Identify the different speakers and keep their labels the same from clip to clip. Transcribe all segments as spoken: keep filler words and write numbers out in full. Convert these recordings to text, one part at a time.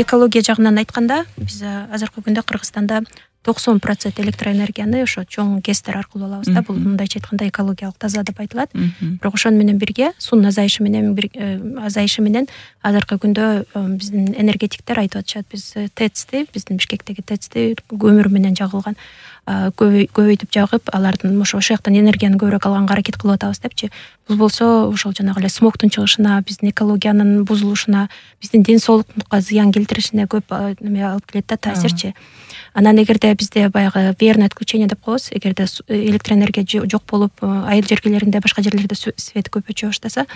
Speaker 1: экология жагынан айтканда биз азыркы күндө Кыргызстанда токсон процент электроэнергияны ошо чоң гэстер аркылуу алабыз да. Бул мындайча айтканда экологиялык таза деп айтылат. Бирок ошону менен бирге суунун азайышы менен азайышы менен азыркы күндө биздин энергетиктер айтып атышат, биз тэцти, биздин Бишкектеги тэцти көмүр менен жагылган көбөйтүп жагып, алардын ошо ошол жактан энергияны көбүрөөк алганга аракет кылып атабыз депчи. Бул болсо ошол жанагы эле смогтун чыгышына, биздин экологиянын бузулушуна, биздин ден соолуктукка зыян келтиришине көп неме алып келет да, таасирчи. Анан эгерде бизде баягы верное отключение деп коебуз, эгерде электроэнергия жок болуп, айыл жергелеринде, башка жерлерде свет көп өчө баштаса,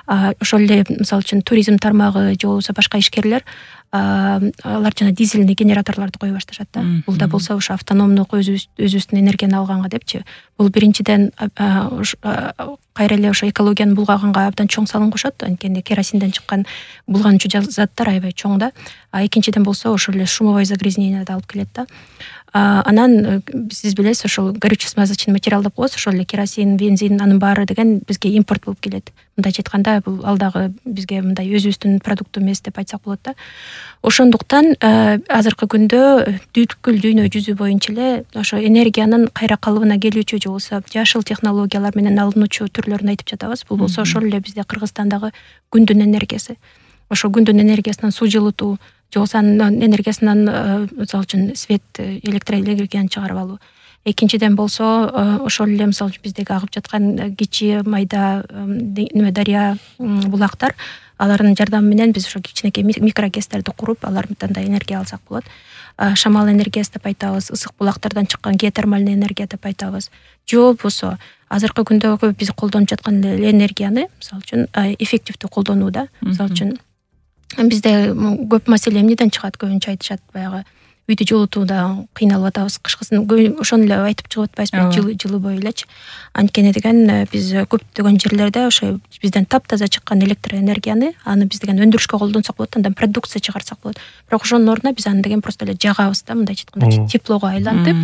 Speaker 1: ошол эле мисалы үчүн туризм тармагы же болбосо башка ишкерлер алар жана дизельный генераторлорду кое башташат да. Бул да болсо ошо автономдук өзүбүздүн энергияны алганга депчи. Бул биринчиден кайра эле ошо экологияны булгаганга абдан чоң салым кошот, анткени керосинден чыккан булганчу заттар аябай чоң да. А экинчиден болсо ошол эле шумовое загрязнение да алып келет да. Анан сиз билесиз, ошол горюче смазочный материал деп коебуз, ошол эле керосин, бензин, анын баары деген бизге импорт болуп келет. Мындайча айтканда, бул ал дагы бизге мындай өзүбүздүн продукту эмес деп айтсак болот да. Ошондуктан азыркы күндө бүткүл дүйнө жүзү боюнча эле ошо энергиянын кайра калыбына келүүчү же болбосо жашыл технологиялар менен алынуучу түрлөрүн айтып жатабыз. Бул болсо ошол эле бизде Кыргызстандагы күндүн энергиясы. Ошо күндүн энергиясынан суу жылытуу, же болбосо анын энергиясынан мисалы үчүн свет, электроэнергияны чыгарып алуу. Экинчиден болсо ошол эле мисалы үчүн биздеги агып жаткан кичи майда неме дарыя булактар, алардын жардамы менен биз ошо кичинекей микрогестерди куруп, алардан да энергия алсак болот. Шамал энергиясы деп айтабыз, ысык булактардан чыккан геотермальный энергия деп айтабыз. Же болбосо азыркы күндөгү биз колдонуп жаткан энергияны мисалы үчүн эффективдүү колдонуу да. Мисалы үчүн бизде көп маселе эмнеден чыгат, көбүнчө айтышат, баягы үйдү жылытууда кыйналып атабыз, кышкысын ошону эле айтып чыгып атпайбызбы, жылы жылы бою элечи. Анткени деген биз көптөгөн жерлерде ошо бизден таптаза чыккан электроэнергияны аны биз деген өндүрүшкө колдонсок болот, андан продукция чыгарсак болот. Бирок ошонун ордуна биз аны деген просто эле жагабыз да, мындайча айтканда теплого айлантып,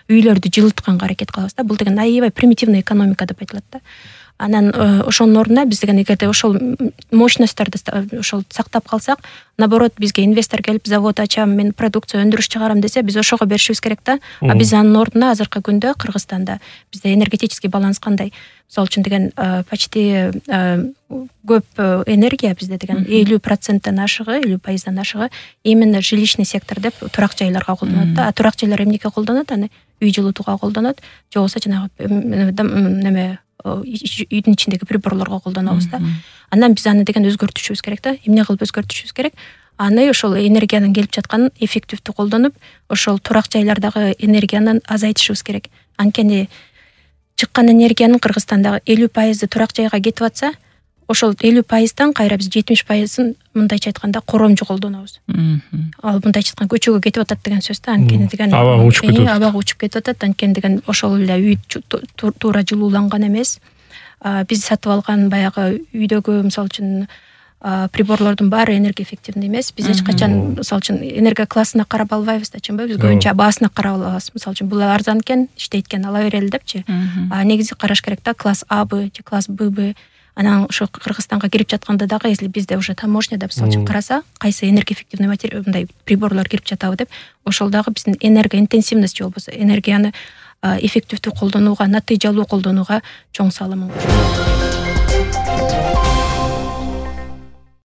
Speaker 1: үйлөрдү жылытканга аракет кылабыз да. Бул деген аябай примитивный экономика деп айтылат да. Анан ошонун ордуна биз деген эгерде ошол мощностьторду ошол сактап калсак, наоборот бизге инвестор келип завод ачам, мен продукция өндүрүш чыгарам десе, биз ошого беришибиз керек да. А биз анын ордуна азыркы күндө Кыргызстанда бизде энергетический баланс кандай? Мисалы үчүн деген почти көп энергия бизде деген элүү проценттен ашыгы, элүү пайыздан ашыгы именно жилищный сектор деп турак жайларга колдонот да. А турак жайлар эмнеге колдонот? Аны үй жылытууга колдонот, же болбосо жанагы неме үйдүн ичиндеги приборлорго колдонобуз да. Андан биз аны деген өзгөртүшүбүз керек да. Эмне кылып өзгөртүшүбүз керек? Аны ошол энергиянын келип жатканын эффективдүү колдонуп, ошол турак жайлардагы энергияны азайтышыбыз керек. Анткени чыккан энергиянын Кыргызстандагы элүү пайызы турак жайга кетип атса, ошол элүү пайыздан кайра биз жетимиш пайызын мындайча айтканда коромжу колдонобуз. Ал мындайча айтканда көчөгө кетип атат деген сөз да. Анткени деген
Speaker 2: абага учуп кетет.
Speaker 1: Абага учуп кетип атат. Анткени деген ошол эле үй туура жылууланган эмес. Биз сатып алган баягы үйдөгү мисалы үчүн приборлордун баары энергоэффективный эмес. Биз эч качан мисалы үчүн энергия классына карап албайбыз да, чынбы? Биз көбүнчө баасына карап алабыз. Мисалы үчүн бул арзан экен, иштейт экен, ала берели депчи. А негизи караш керек да, класс А Б же класс Б Б. Анан ошо Кыргызстанга кирип жатканда дагы, если бизде уже таможняда мисалы үчүн караса, кайсы энергоэффективный материал мындай приборлор кирип жатабы деп, ошол дагы биздин энергоинтенсивность же болбосо энергияны эффективдүү колдонууга, натыйжалуу колдонууга чоң салымын кошот.